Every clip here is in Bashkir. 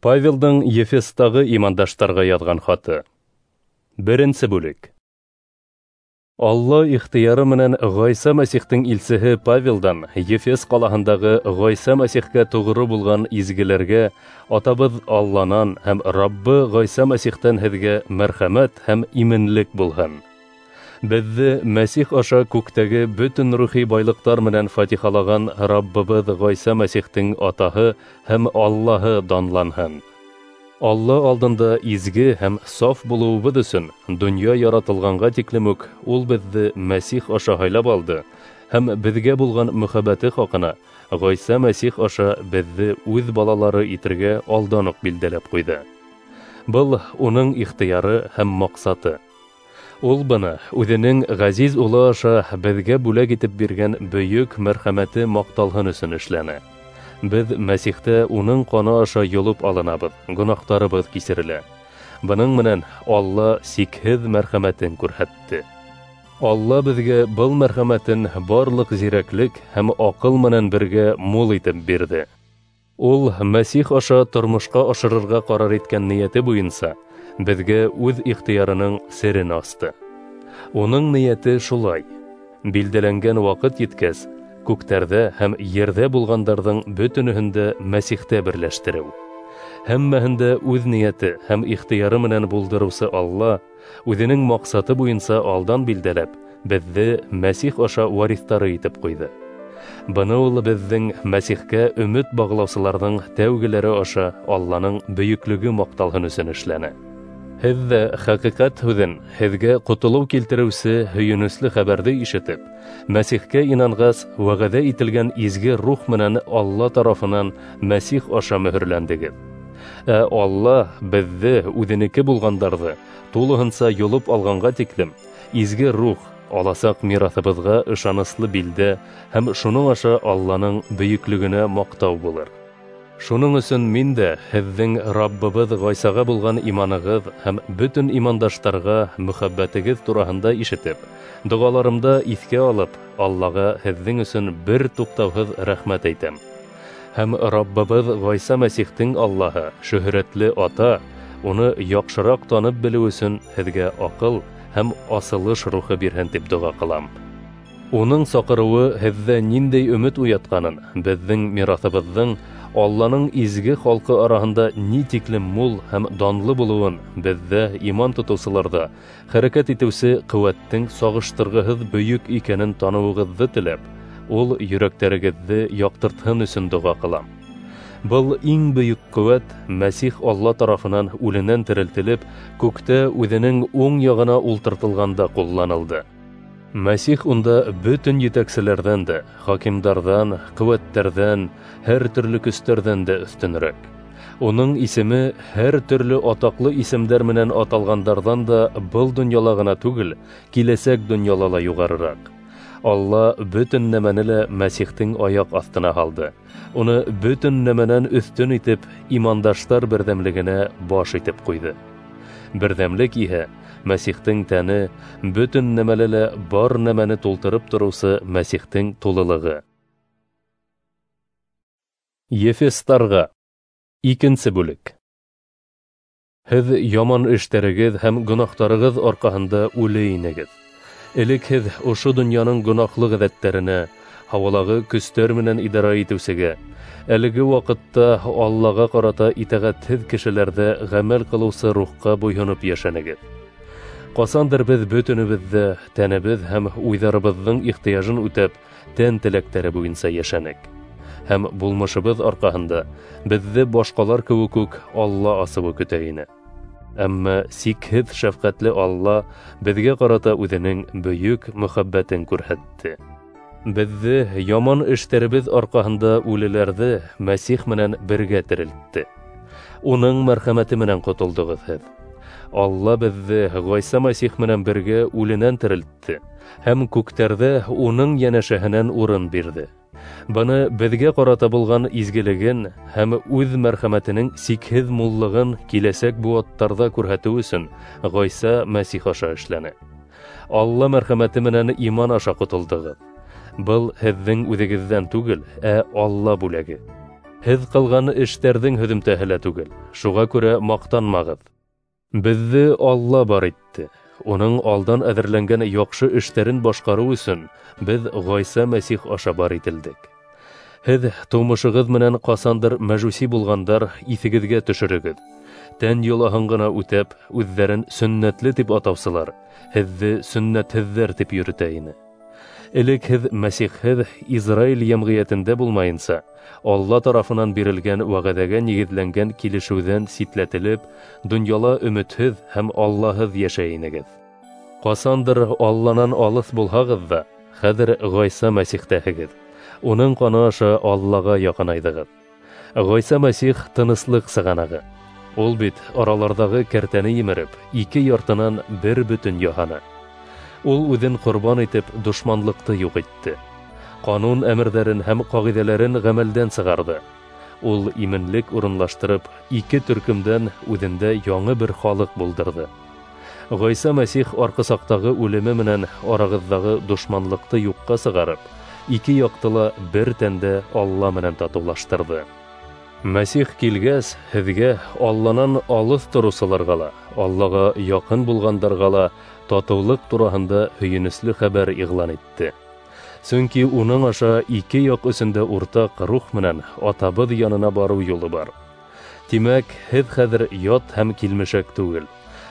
Павелдың Ефестағы имандаштарға яҙған хаты. Беренсе бүлек. Алла ихтыяры менән Ғайса Мәсихтең илсеһе Павелдан Ефес ҡалаһындағы Ғайса Мәсихкә тоғро булған изгеләргә Атабыҙ Алланан һәм Раббы Ғайса Мәсихтән һеҙгә мәрхәмәт һәм именлек булһын. Беҙҙе Мәсих аша күктәге бөтөн рухи байлыҡтар менән фатихалаған Раббыбыҙ Ғайса Мәсихтең Атаһы һәм Аллаһы данланһын. Алла алдында изге һәм саф булыуыбыҙ өсөн донъя яратылғанға тиклем үк ул беҙҙе Мәсих аша һайлап алды һәм беҙгә булған мөхәббәте хаҡына Ғайса Мәсих аша беҙҙе үҙ балалары итергә алдан уҡ билдәләп ҡуйҙы. Был уның ихтыяры һәм маҡсаты. Ул быны үҙенең ғәзиз улы аша беҙгә бүләк итеп биргән бөйөк мәрхәмәте маҡталһын өсөн эшләне. Беҙ Мәсихтә уның ҡаны аша йолоп алынабыҙ, гонаһтарыбыҙ кисерелә. Бының менән Алла сикһеҙ мәрхәмәтен күрһәтте. Алла беҙгә был мәрхәмәтен барлыҡ зирәклек һәм аҡыл менән бергә мул итеп бирҙе. Ул Мәсих аша тормошҡа ашырырға ҡарар иткән ниәте буйынса беҙгә үҙ ихтыярының серен асты. Уның ниәте шулай: билдәләнгән ваҡыт еткәс, күктәрҙә һәм ерҙә булғандарҙың бөтөнөһөн дә Мәсихтә берләштереү. Һәммәһен дә үҙ ниәте һәм ихтыяры менән булдырыусы Алла үҙенең маҡсаты буйынса алдан билдәләп, беҙҙе Мәсих аша вариҫтары итеп ҡуйҙы. Быны ул беҙҙең Мәсихкә өмөт бағлаусыларҙың тәүгеләре аша Алланың бөйөклөгө маҡталһын өсөн эшләне. Һеҙ ҙә хәҡиҡәт һүҙен, һеҙгә ҡотолоу килтереүсе һөйөнөслө хәбәрҙе ишетеп, Мәсихкә инанғас, вәғәҙә ителгән изге рух менән Алла тарафынан Мәсих аша мөһөрләндегеҙ. Ә Алла беҙҙе, үҙенеке булғандарҙы, тулыһынса йолоп алғанға тиклем, изге рух аласаҡ мираҫыбыҙға ышаныслы билдә һәм шуның аша Алланың бөйөклөгөнә маҡтау булыр. Шуның өсөн мин дә һеҙҙең Раббыбыҙ Ғайсаға булған иманығыҙ һәм бөтөн имандаштарға мөхәббәтегеҙ тураһында ишетеп, доғаларымда иҫкә алып, Аллаға һеҙҙең өсөн бер туҡтауһыҙ рәхмәт әйтәм. Һәм Раббыбыҙ Ғайса Мәсихтең Аллаһы, шөһрәтле Ата, уны яҡшыраҡ танып белеү өсөн һеҙгә аҡыл һәм асылыш рухы бирһен тип доға ҡылам. Уның саҡырыуы һеҙҙә ниндәй өмөт уятҡанын, беҙҙең мираҫыбыҙҙың Алланың изге халҡы араһында ни тиклем мул һәм данлы булыуын, беҙҙә иман тотоусыларҙа хәрәкәт итеүсе ҡеүәттең сағыштырғыһыҙ бөйөк икәнен таныуығыҙҙы теләп, ул йөрәктәрегеҙҙе яҡтыртһын өсөн доға ҡылам. Был иң бөйөк ҡеүәт Мәсих Алла тарафынан үленән терелтелеп, күктә үҙенең уң яғына ултыртылғанда ҡулланылды. Мәсих унда бөтөн етәкселәрҙән дә, хакимдарҙан, ҡеүәттәрҙән, һәр төрлө көстәрҙән дә өҫтөнөрәк. Уның исеме һәр төрлө атаҡлы исемдәр менән аталғандарҙан да был донъяла ғына түгел, киләсәк донъяла ла юғарыраҡ. Алла бөтөн нәмәне лә Мәсихтең аяҡ аҫтына һалды. Уны бөтөн нәмәнән өҫтөн итеп, имандаштар берҙәмлегенә баш итеп ҡуйҙы. Берҙәмлек иһә Мәсихтең тәне, бөтөн нәмәлә лә бар нәмәне тултырып тороусы Мәсихтең тулылығы. Ефестарға. Икенсе бүлек. Һеҙ яман эштәрегеҙ һәм гонаһтарығыҙ арҡаһында үле инегеҙ. Элек һеҙ ошо донъяның гонаһлы ғәҙәттәренә, һауалағы көстәр менән идара итеүсегә, әлеге ваҡытта Аллаға ҡарата итәғәтһеҙ кешеләрҙә ғәмәл ҡылыусы рухҡа буйһоноп йәшәнегеҙ. Ҡасандыр беҙ бөтөнөбөҙ ҙә тәнебеҙ һәм уйҙарыбыҙҙың ихтыяжын үтәп, тән теләктәре буйынса йәшәнек. Һәм булмышыбыҙ арҡаһында беҙҙе башҡалар кеүек үк Алла асыуы көтә ине. Әммә сикһеҙ шәфҡәтле Алла беҙгә ҡарата үҙенең бөйөк мөхәббәтен күрһәтте. Беҙҙе яман эштәребеҙ арҡаһында үлеләрҙе Мәсих менән бергә терелтте. Уның мәрхәмәте менән ҡотолдоғоҙ һеҙ. Алла беҙҙе Ғайса Мәсих менән бергә үленән терелтте һәм күктәрҙә уның йәнәшәһенән урын бирҙе. Быны беҙгә ҡарата булған изгелеген һәм үҙ мәрхәмәтенең сикһеҙ муллығын киләсәк быуаттарҙа күрһәтеү өсөн Ғайса Мәсих аша эшләне. Алла мәрхәмәте менән иман аша ҡотолдоғоҙ. Был һеҙҙең үҙегеҙҙән түгел, ә Алла бүләге. Һеҙ ҡылған эштәрҙең һөҙөмтәһе лә түгел, шуға күрә маҡтанмағыҙ. Беҙҙе Алла бар итте. Уның алдан әҙерләнгән яҡшы эштәрен башҡарыу өсөн беҙ Ғайса Мәсих аша бар ителдек. Һеҙ тыумышығыҙ менән ҡасандыр мәжүси булғандар иҫегеҙгә төшөрөгөҙ. Тән йолаһын ғына үтәп, үҙҙәрен сөннәтле тип атаусылар, һеҙҙе сөннәтһеҙҙәр тип йөрөтә ине. Элек һеҙ Мәсихһеҙ Израиль йәмғиәтендә булмайынса, Алла тарафынан бирелгән вәғәҙәгә нигеҙләнгән килешеүҙән ситләтелеп, донъяла өмөтһөҙ һәм Аллаһыҙ йәшәй инегеҙ. Ҡасандыр Алланан алыҫ булһағыҙ ҙа, хәҙер Ғайса Мәсихтәһегеҙ. Уның ҡаны аша Аллаға яҡынайҙығыҙ. Ғайса Мәсих тыныслыҡ сығанағы. Ул бит араларҙағы кәртәне емереп, ике яртынан бер бөтөн яһаны. Ул үҙен ҡорбан итеп, дошманлыҡты юҡ итте. Ҡанун әмерҙәрен һәм ҡағиҙәләрен ғәмәлдән сығарҙы. Ул именлек урынлаштырып, ике төркөмдән үҙендә яңы бер халыҡ булдырҙы. Ғайса Мәсих арҡысаҡтағы үлеме менән арағыҙҙағы дошманлыҡты юҡҡа сығарып, ике яҡты ла бер тәндә Алла менән татыулаштырҙы. Мәсих килгәс, һеҙгә Алланан алыҫ тороусыларға ла, Аллаға яҡын булғандарға ла татыулыҡ тураһында һөйөнөслө хәбәр иғлан итте. Сөнки уның аша ике яҡ өсөн дә уртаҡ рух менән Атабыҙ янына барыу юлы бар. Тимәк, һеҙ хәҙер ят һәм килмешәк түгел,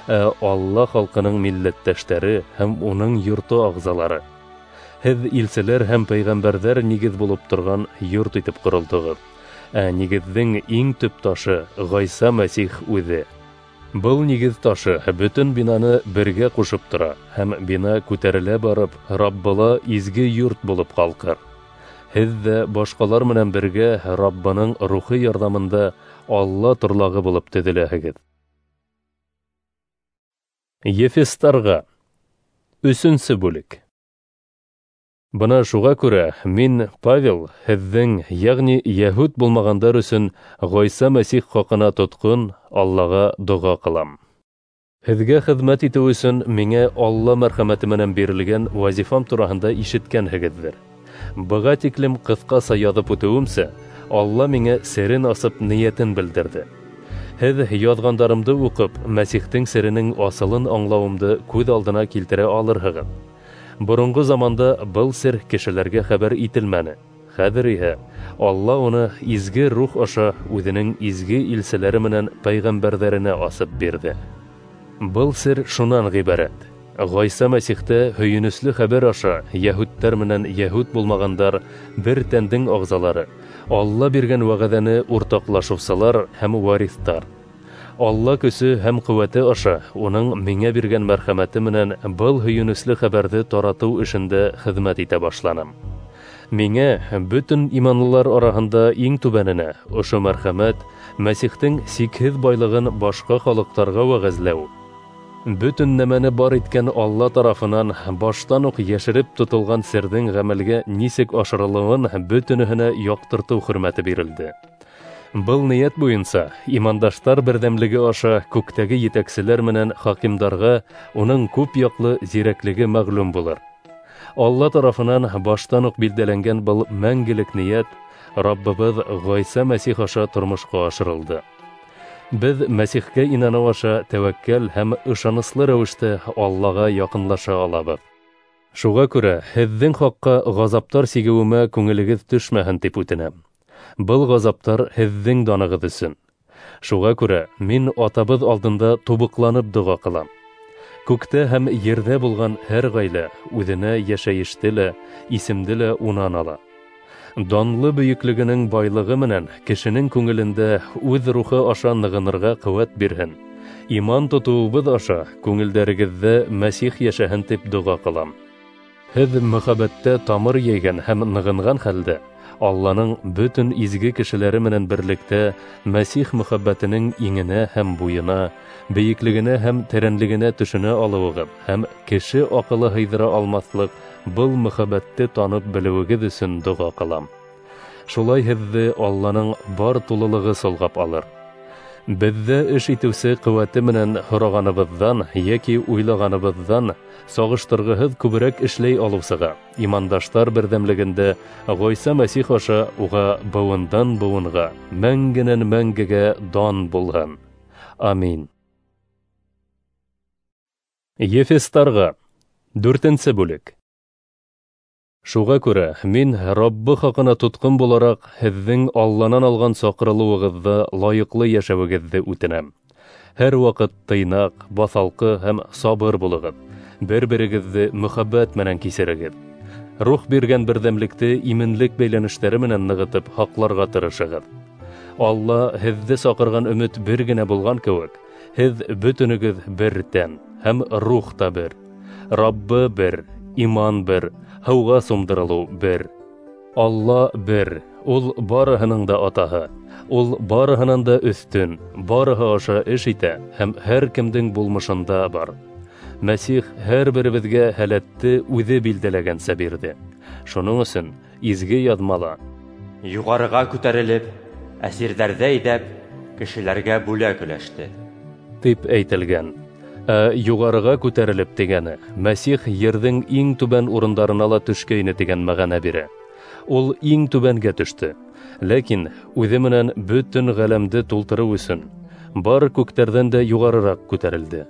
ә Алла халҡының милләттәштәре һәм уның йорто ағзалары. Һеҙ илселәр һәм пәйғәмбәрҙәр нигеҙ булып торған йорт итеп ҡоролдоғоҙ. Ә нигеҙҙең иң төп ташы Ғайса Мәсих үҙе. Был нигеҙ ташы бөтөн бинаны бергә ҡушып тора һәм бина күтәрелә барып, Раббыла изге йорт булып ҡалҡыр. Һеҙ ҙә башҡалар менән бергә Раббының рухи ярҙамында Алла торлағы булып төҙөләһегеҙ. Ефестарға. 3-нсе бүлек. Бына шуға күрә мин, Павел, һеҙҙең, йәғни йәһүд булмағандар өсөн Ғайса Мәсих хаҡына тотҡон Аллаға доға ҡылам. Һеҙгә хеҙмәт итеү өсөн миңә Алла мәрхәмәте менән бирелгән вазифам тураһында ишеткәнһегеҙҙер. Быға тиклем ҡыҫҡаса яҙып үтеүемсә, Алла миңә серен асып ниәтен белдерҙе. Һеҙ яҙғандарымды уҡып, Мәсихтең серенең асылын аңлауымды күҙ алдына килтерә алырһығыҙ. Боронғо заманда был сер кешеләргә хәбәр ителмәне. Хәҙер иһә Алла уны изге рух аша үҙенең изге илселәре менән пәйғәмбәрҙәренә асып бирҙе. Был сер шунан ғибәрәт: Ғайса Мәсихтә һөйөнөслө хәбәр аша йәһүдтәр менән йәһүд булмағандар бер тәндең ағзалары, Алла биргән вәғәҙәне уртаҡлашыусылар һәм вариҫтар. Алла көсө һәм ҡеүәте аша уның миңә биргән мәрхәмәте менән был һөйөнөслө хәбәрҙе таратыу эшендә хеҙмәт итә башланым. Миңә бөтөн иманлылар араһында иң түбәненә ошо мәрхәмәт Мәсихтең сикһеҙ байлығын башҡа халыҡтарға вәғәзләү, бөтөн нәмәне бар иткән Алла тарафынан баштан уҡ йәшереп тотолған серҙең ғәмәлгә нисек ашырылыуын бөтөнөһөнә яҡтыртыу хөрмәте бирелде. Был ниәт буйынса имандаштар берҙәмлеге аша күктәге етәкселәр менән хакимдарға уның күп яҡлы зирәклеге мәғлүм булыр. Алла тарафынан баштан уҡ билдәләнгән был мәңгелек ниәт Раббыбыҙ Ғайса Мәсих аша тормошҡа ашырылды. Беҙ Мәсихкә инаныу аша тәүәккәл һәм ышаныслы рәүештә Аллаға яҡынлаша алабыҙ. Шуға күрә һеҙҙең хаҡҡа ғазаптар сигеүемә күңелегеҙ төшмәһен тип үтенәм. Был ғазаптар һеҙҙең данығыҙ өсөн. Шуға күрә мин Атабыҙ алдында тубыҡланып доға ҡылам. Күктә һәм ерҙә булған һәр ғаилә үҙенә йәшәйеште лә, исемде лә унан ала. Данлы бөйөклөгөнөң байлығы менән кешенең күңелендә үҙ рухы аша нығынырға ҡеүәт бирһен. Иман тотоуыбыҙ аша күңелдәрегеҙҙә Мәсих йәшәһен тип доға ҡылам. Һеҙ мөхәббәттә тамыр йәйгән һәм нығынған хәлдә Алланың бөтөн изге кешеләре менән берлектә Мәсих мөхәббәтенең иңенә һәм буйына, бейеклегенә һәм тәрәнлегенә төшөнә алыуығыҙ һәм кеше аҡылы һыйҙыра алмаҫлыҡ был мөхәббәтте танып белеүегеҙ өсөн доға ҡылам. Шулай һеҙҙе Алланың бар тулылығы солғап алыр. Беҙҙә эш итеүсе ҡеүәте менән һорағаныбыҙҙан йәки уйлағаныбыҙҙан сағыштырғыһыҙ күберәк эшләй алыусыға, имандаштар берҙәмлегендә Ғайса Мәсих аша уға быуындан быуынға, мәңгенән мәңгегә дан булһын. Амин. Ефестарға. 4-нсе бүлек. Шуға күрә мин Раббы хаҡына тотҡон булараҡ һеҙҙең Алланан алған саҡырылыуығыҙҙы лайыҡлы йәшәүегеҙҙе үтенәм. Һәр ваҡыт тыйнаҡ, баҫалҡы һәм сабыр булығыҙ. Бер-берегеҙҙе мөхәббәт менән кисерегеҙ. Рух биргән берҙәмлекте именлек бәйләнештәре менән нығытып һаҡларға тырышығыҙ. Алла һеҙҙе саҡырған өмөт бер генә булған кеүек, һеҙ бөтөнөгөҙ бер тән һәм рух та бер. Раббы бер, иман бер, һыуға сумдырылыу бер. Алла бер, ул барыһының да атаһы, ул барыһынан да өҫтөн, барыһы аша эш итә һәм һәр кемдең булмышында бар. Мәсих һәр беребеҙгә һәләтте үҙе билдәләгәнсә бирҙе. Шуның өсөн изге яҙмала: Юғарыға күтәрелеп, әсирҙәрҙе әйҙәп, кешеләргә бүләк өләште, тип әйтелгән. Ә юғарыға күтәрелеп тигәне Мәсих ерҙең иң түбән урындарына ла төшкәйне тигән мәғәнә бирә. Ул иң түбәнгә төштө, ләкин үҙе менән бөтөн ғаләмде тултырыу өсөн бар күктәрҙән дә юғарыраҡ күтәрелде.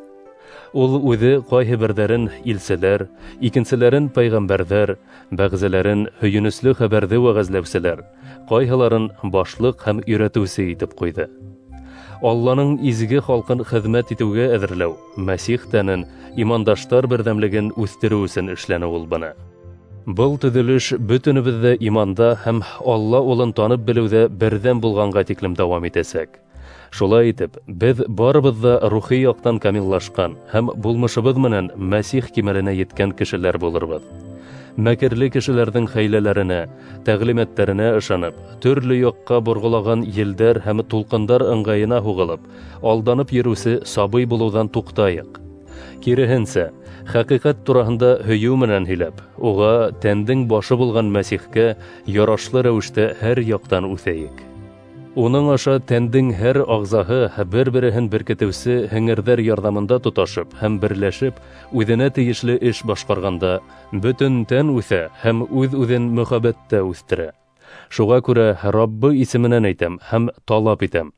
Ул үҙе ҡайһы берҙәрен илселәр, икенселәрен пәйғәмбәрҙәр, бәғзеләрен һөйөнөслө хәбәрҙе вәғәзләүселәр, ҡайһыларын башлыҡ һәм өйрәтеүсе итеп ҡуйҙы. Алланың изге халҡын хеҙмәт итеүгә әҙерләү, Мәсих тәнен, имандаштар берҙәмлеген үҫтереү өсөн эшләне ул быны. Был төҙөлөш бөтөнөбөҙҙә иманда һәм Алла улын танып белеүҙә берҙәм булғанға тиклем дауам итәсәк. Шулай итеп, беҙ барыбыҙ ҙа рухи яҡтан камиллашҡан һәм булмышыбыҙ менән Мәсих кимәленә еткән кешеләр булырбыҙ. Мәкерле кешеләрҙең хәйләләренә, тәғлимәттәренә ышанып, төрлө яҡҡа борғолаған елдәр һәм тулҡындар ыңғайына һуғылып, алданып йөрөүсе сабый булыуҙан туҡтайыҡ. Киреһенсә, хәҡиҡәт тураһында һөйөү менән һөйләп, уға тәндең башы булған Мәсихкә ярашлы рәүештә һәр яҡтан үҫәйек. Уның аша тәндең һәр ағзаһы бер-береһен беркетеүсе һеңерҙәр ярҙамында тоташып һәм берләшеп, үҙенә тейешле эш башҡарғанда, бөтөн тән үҫә һәм үҙ-үҙен мөхәббәттә үҫтерә. Шуға күрә Раббы исеменән әйтәм һәм талап итәм: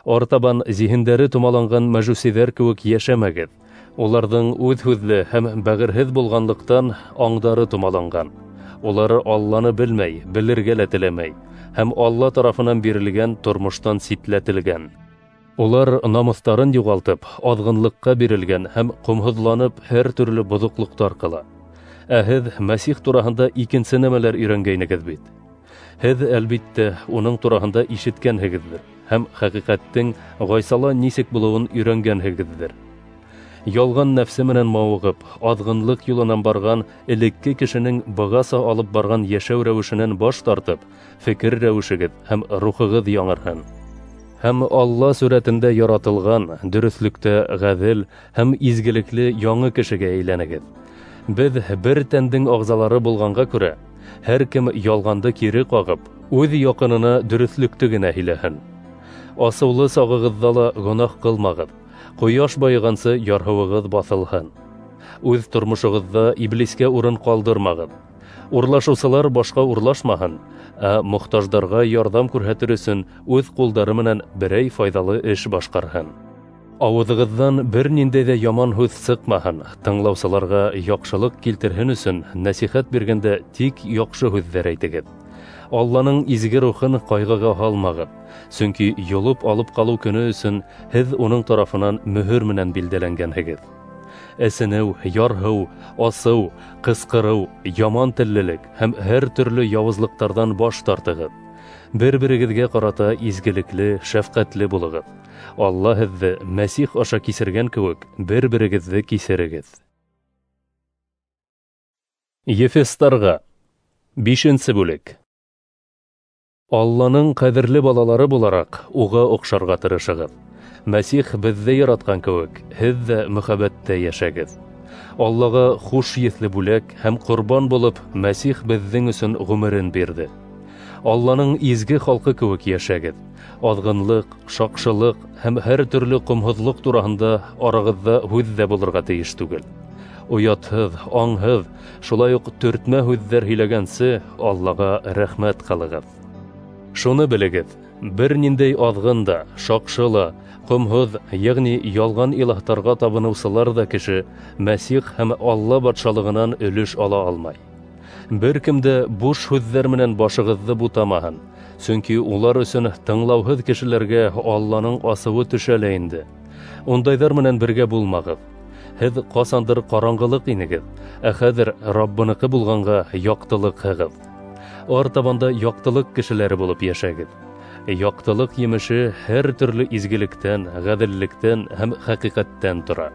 артабан зиһендәре томаланған мәжүсиҙәр кеүек йәшәмәгеҙ. Уларҙың үҙ һүҙле һәм бәғерһеҙ булғанлыҡтан аңдары томаланған. Улар Алланы белмәй, белергә лә теләмәй һәм Алла тарафынан бирелгән тормоштан ситләтелгән. Улар намыҫтарын юғалтып, аҙғынлыҡҡа бирелгән һәм ҡомһоҙланып һәр төрлө боҙоҡлоҡтар ҡыла. Ә һеҙ Мәсих тураһында икенсе нәмәләр өйрәнгәйнегеҙ бит. Һеҙ, әлбиттә, уның тураһында ишеткәнһегеҙҙер һәм хәҡиҡәттең Ғайсала нисек булыуын өйрәнгәнһегеҙҙер. Ялған нәфсе менән мауығып, аҙғынлыҡ юлынан барған элекке кешенең бығаса алып барған йәшәү рәүешенән баш тартып, фекер рәүешегеҙ һәм рухығыҙ яңырһын. Һәм Алла сүрәтендә яратылған, дөрөҫлөктә ғәҙел һәм изгелекле яңы кешегә әйләнегеҙ. Беҙ бер тәндең ағзалары булғанға күрә, һәр кем ялғанды кире ҡағып, үҙ яҡынына дөрөҫлөктө генә һөйләһен. Асыулы сағығыҙҙа ла гонаһ ҡылмағыҙ, ҡояш байығансы ярһыуығыҙ баҫылһын. Үҙ тормошоғоҙҙа иблискә урын ҡалдырмағыҙ. Урлашыусылар башҡа урлашмаһын, ә мохтаждарға ярҙам күрһәтер өсөн үҙ ҡулдары менән берәй файҙалы эш башҡарһын. Ауыҙығыҙҙан бер ниндәй ҙә яман һүҙ сыҡмаһын, тыңлаусыларға яҡшылыҡ килтерһен өсөн нәсихәт биргәндә тик яҡшы һүҙҙәр әйтегеҙ. Алланың изге рухын ҡайғыға һалмағыҙ, сөнки йолоп алып ҡалыу көнө өсөн һеҙ уның тарафынан мөһөр менән билдәләнгәнһегеҙ. Әсенеү, ярһыу, асыу, ҡысҡырыу, яман теллелек һәм һәр төрлө яуызлыҡтарҙан баш тартығыҙ. Бер-берегеҙгә ҡарата изгелекле, шәфҡәтле булығыҙ. Алла һеҙҙе Мәсих аша кисергән кеүек бер-берегеҙҙе кисерегеҙ. Ефестарға. 5-нсе бүлек. Алланың ҡәҙерле балалары булараҡ уға оҡшарға тырышығыҙ. Мәсих беҙҙе яратҡан кеүек, һеҙ ҙә мөхәббәттә йәшәгеҙ. Аллаға хуш еҫле бүләк һәм ҡорбан булып Мәсих беҙҙең өсөн ғүмерен бирҙе. Алланың изге халҡы кеүек йәшәгеҙ. Аҙғынлыҡ, шаҡшылыҡ һәм һәр төрлө ҡомһоҙлоҡ тураһында арағыҙҙа һүҙ ҙә булырға тейеш түгел. Оятһыҙ, аңһыҙ, шулай уҡ төртмә һүҙҙәр һөйләгәнсе Аллаға рәхмәт ҡылығыҙ. Шуны белегеҙ: бер ниндәй аҙғын да, шаҡшы ла, ҡомһоҙ, йәғни ялған илаһтарға табыныусылар ҙа кеше Мәсих һәм Алла батшалығынан өлөш ала алмай. Бер кем дә буш һүҙҙәр менән башығыҙҙы бутамаһын, сөнки улар өсөн тыңлауһыҙ кешеләргә Алланың асыуы төшә лә инде. Ундайҙар менән бергә булмағыҙ. Һеҙ ҡасандыр ҡараңғылыҡ инегеҙ, ә хәҙер Раббыныҡы булғанға яҡтылыҡһығыҙ. Артабанда яҡтылыҡ кешеләре булып йәшәгеҙ. Яҡтылыҡ емеше һәр төрлө изгелектән, ғәҙеллектән һәм хәҡиҡәттән тора.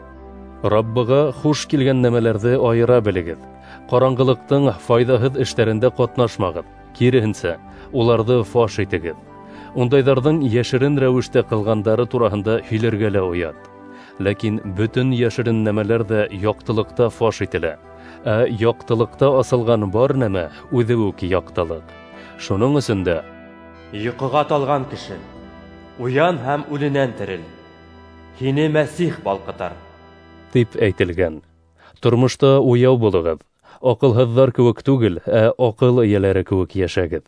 Раббыға хуш килгән нәмәләрҙе айыра белегеҙ. Ҡараңғылыҡтың файҙаһыҙ эштәрендә ҡатнашмағыҙ, киреһенсә, уларҙы фаш итегеҙ. Ундайҙарҙың йәшерен рәүештә ҡылғандары тураһында һөйләргә лә оят. Ләкин бөтөн йәшерен нәмәләр ҙә яҡтылыҡта фаш ителә. Ә яҡтылыҡта асылған бар нәмә үҙе үк яҡтылыҡ. Шуның өсөн дә йоҡоға талған кеше, уян һәм үленән терел. Һине Мәсих балҡытар, тип әйтелгән. Тормошта уяу булығыҙ. Аҡылһыҙҙар кеүек түгел, ә аҡыл эйәләре кеүек йәшәгеҙ.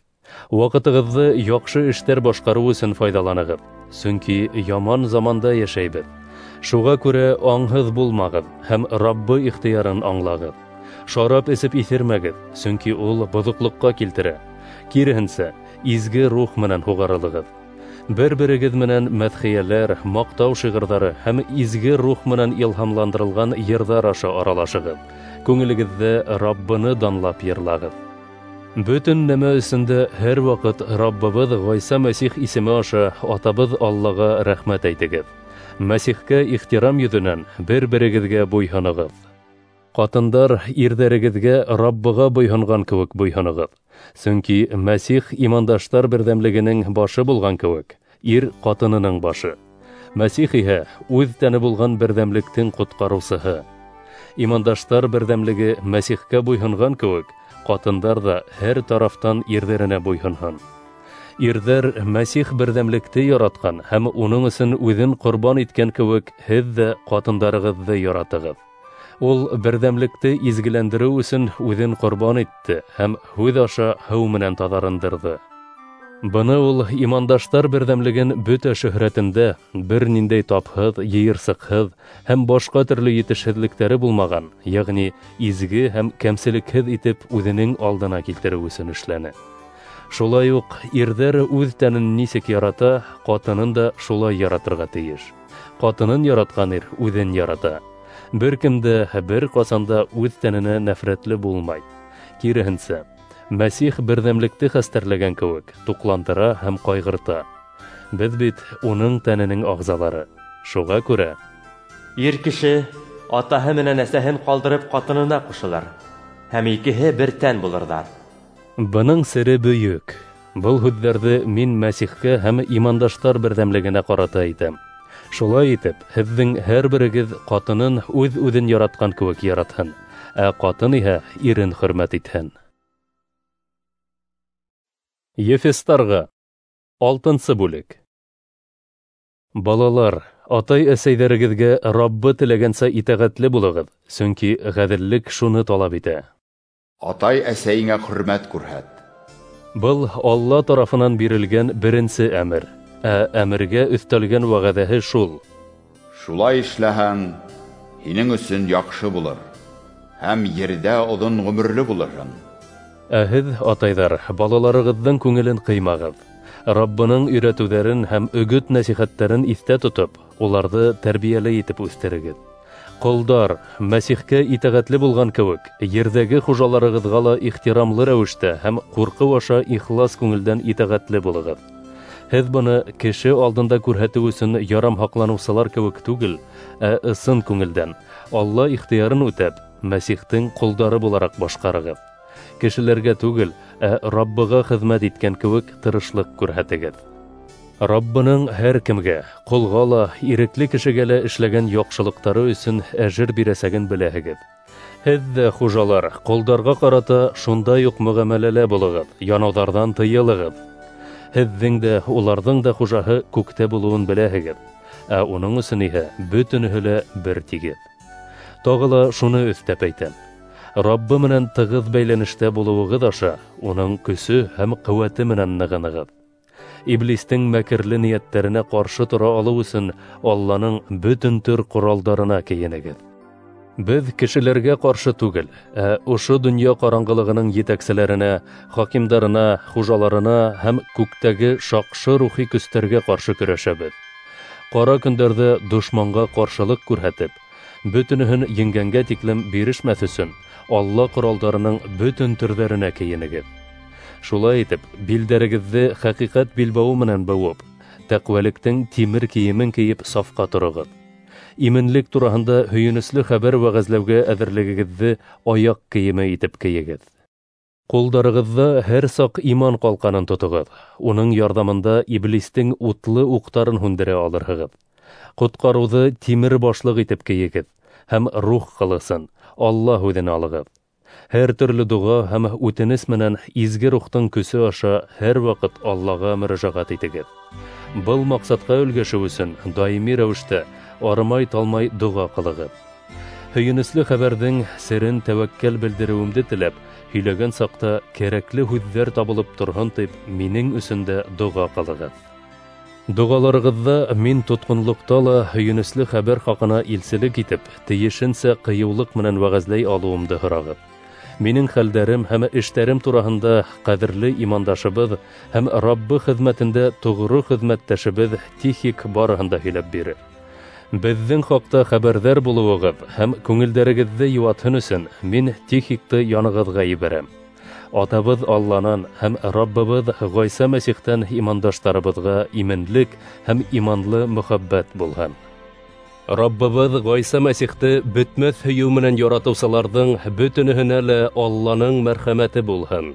Ваҡытығыҙҙы яҡшы эштәр башҡарыу өсөн файҙаланығыҙ, сөнки яман заманда йәшәйбеҙ. Шуға күрә аңһыҙ булмағыҙ һәм Раббы ихтыярын аңлағыҙ. Шарап эсеп иҫермәгеҙ, сөнки ул боҙоҡлоҡҡа килтерә. Киреһенсә, изге рух менән һуғарылығыҙ. Бер-берегеҙ менән мәҙхиәләр, маҡтау шиғырҙары һәм изге рух менән илһамландырылған йырҙар аша аралашығыҙ. Күңелегеҙҙә Раббыны данлап йырлағыҙ. Бөтөн нәмә өсөн дә һәр ваҡыт Раббыбыҙ Ғайса Мәсих исеме аша Атабыҙ Аллаға рәхмәт әйтегеҙ. Мәсихкә ихтирам йөҙөнән бер-берегеҙгә буйһонығыҙ. Ҡатындар, ирҙәрегеҙгә Раббыға буйһонған кеүек буйһонығыҙ. Сөнки Мәсих имандаштар берҙәмлегенең башы булған кеүек, ир ҡатынының башы. Мәсих иһә үҙ тәне булған берҙәмлектең ҡотҡарыусыһы. Имандаштар берҙәмлеге Мәсихкә буйһонған кеүек, ҡатындар ҙа һәр тарафтан ирҙәренә буйһонһон. Ирҙәр Мәсих берҙәмлекте яратҡан һәм уның өсөн үҙен ҡорбан иткән кеүек, һеҙ ҙә ҡатындарығыҙҙы яратығыҙ. Ул берҙәмлекте изгеләндереү өсөн үҙен ҡорбан итте һәм һүҙ аша һыу менән таҙарындырҙы. Быны ул имандаштар берҙәмлеген бөтә шөһрәтендә бер ниндәй тапһыҙ, йыйырсыҡһыҙ һәм башҡа төрлө етешһеҙлектәре булмаған, йәғни изге һәм кәмселекһеҙ итеп үҙенең алдына килтереү өсөн эшләне. Шулай уҡ ирҙәр үҙ тәнен нисек ярата, ҡатынын да шулай яратырға тейеш. Ҡатынын яратҡан ир үҙен ярата. Бер кем дә бер ҡасан да үҙ тәненә нәфрәтле булмай. Киреһенсә, Мәсих берҙәмлекте хәстәрләгән кеүек туҡландыра һәм ҡайғырта. Беҙ бит уның тәненең ағзалары. Шуға күрә ир кеше атаһы менән әсәһен ҡалдырып ҡатынына ҡушылыр, һәм икеһе бер тән булырҙар. Бының сере бөйөк. Был һүҙҙәрҙе мин Мәсихкә һәм имандаштар берҙәмлегенә ҡарата әйтәм. Шулай итеп, һеҙҙең һәр берегеҙ ҡатынын үҙ-үҙен яратҡан кеүек яратһын, ә ҡатын иһә ирен хөрмәт итһен. Ефестарға. 6-нсы бүлек. Балалар, атай-әсәйҙәрегеҙгә Раббы теләгәнсә итәғәтле булығыҙ, сөнки ғәҙеллек шуны талап итә. Атай-әсәйеңә хөрмәт күрһәт. Был Алла тарафынан бирелгән беренсе әмер, ә әмергә өҫтәлгән вәғәҙәһе шул: шулай эшләһәң, һинең өсөн яҡшы булыр, һәм ерҙә оҙон ғүмерле булырһың. Ә һеҙ, атайҙар, балаларығыҙҙың күңелен ҡыймағыҙ. Раббының өйрәтеүҙәрен һәм өгөт-нәсихәттәрен иҫтә тотоп, уларҙы тәрбиәле итеп үҫтерегеҙ. Ҡолдар, Мәсихкә итәғәтле булған кеүек, ерҙәге хужаларығыҙға ла ихтирамлы рәүештә һәм ҡурҡыу аша ихлас күңелдән итәғәтле булығыҙ. Һеҙ быны кеше алдында күрһәтеү өсөн ярам һаҡланыусылар кеүек түгел, ә ысын күңелдән, Алла ихтыярын үтәп, Мәсихтең ҡолдары булараҡ башҡарығыҙ. Кешеләргә түгел, ә Раббыға хеҙмәт иткән кеүек тырышлыҡ күрһәтегеҙ. Раббының һәр кемгә, ҡолға ла, ирекле кешегә лә эшләгән яҡшылыҡтары өсөн әжер бирәсәген беләһегеҙ. Һеҙ ҙә, хужалар, ҡолдарға ҡарата шундай уҡ мөғәмәләлә булығыҙ, янауҙарҙан тыйылығыҙ. Һеҙҙең дә, уларҙың да хужаһы күктә булыуын беләһегеҙ, ә уның өсөн иһә бөтөнөһө лә бер тигеҙ. Тағы ла шуны өҫтәп әйтәм: Раббы менән тығыҙ бәйләнештә булыуығыҙ аша уның көсө һәм ҡеүәте менән нығынығыҙ. Иблистең мәкерле ниәттәренә ҡаршы тора алыу өсөн Алланың бөтөн төр ҡоралдарына кейенегеҙ. Беҙ кешеләргә ҡаршы түгел, ә ошо донъя ҡараңғылығының етәкселәренә, хакимдарына, хужаларына һәм күктәге шаҡшы рухи көстәргә ҡаршы көрәшәбеҙ. Ҡара көндәрҙә дошманға ҡаршылыҡ күрһәтеп, бөтөнөһөн еңгәнгә тиклем бирешмәҫ өсөн Алла ҡоралдарының бөтөн төрҙәренә кейенегеҙ. Шулай итеп, билдәрегеҙҙе хәҡиҡәт билбауы менән быуып, тәҡүәлектең тимер кейемен кейеп сафҡа тороғоҙ. Именлек тураһында һөйөнөслө хәбәр вәғәзләүгә әҙерлегегеҙҙе аяҡ кейеме итеп кейегеҙ. Ҡулдарығыҙҙа һәр саҡ иман ҡалҡанын тотоғоҙ. Уның ярҙамында иблистең утлы уҡтарын һүндерә алырһығыҙ. Ҡотҡарыуҙы тимер башлыҡ итеп кейегеҙ һәм рух ҡылысын, Алла һүҙен алығыҙ. Һәр төрлө доға һәм үтенес менән изге рухтың көсө аша һәр ваҡыт Аллаға мөрәжәғәт итегеҙ. Был маҡсатҡа өлгәшеү өсөн даими рәүештә арымай-талмай доға ҡылығыҙ. Һөйөнөслө хәбәрҙең серен тәүәккәл белдереүемде теләп, һөйләгән саҡта кәрәкле һүҙҙәр табылып торһон тип, минең өсөн дә доға ҡылығыҙ. Доғаларығыҙҙа мин тотҡонлоҡта ла һөйөнөслө хәбәр хаҡына илселек итеп, тейешенсә ҡыйыулыҡ менән вәғәзләй алыуымды һорағыҙ. Минең хәлдәрем һәм эштәрем тураһында ҡәҙерле имандашыбыҙ һәм Раббы хеҙмәтендә тоғро хеҙмәттәшебеҙ Тихик барыһын да һөйләп бирер. Беҙҙең хаҡта хәбәрҙәр булыуығыҙ һәм күңелдәрегеҙҙе йыуатһын өсөн мин Тихикты янығыҙға ебәрәм. Атабыҙ Алланан һәм Раббыбыҙ Ғайса Мәсихтән имандаштарыбыҙға именлек һәм иманлы мөхәббәт булһын. Раббыбыҙ Ғайса Мәсихте бөтмәҫ һөйөү менән яратыусыларҙың бөтөнөһөнә лә Алланың мәрхәмәте булһын.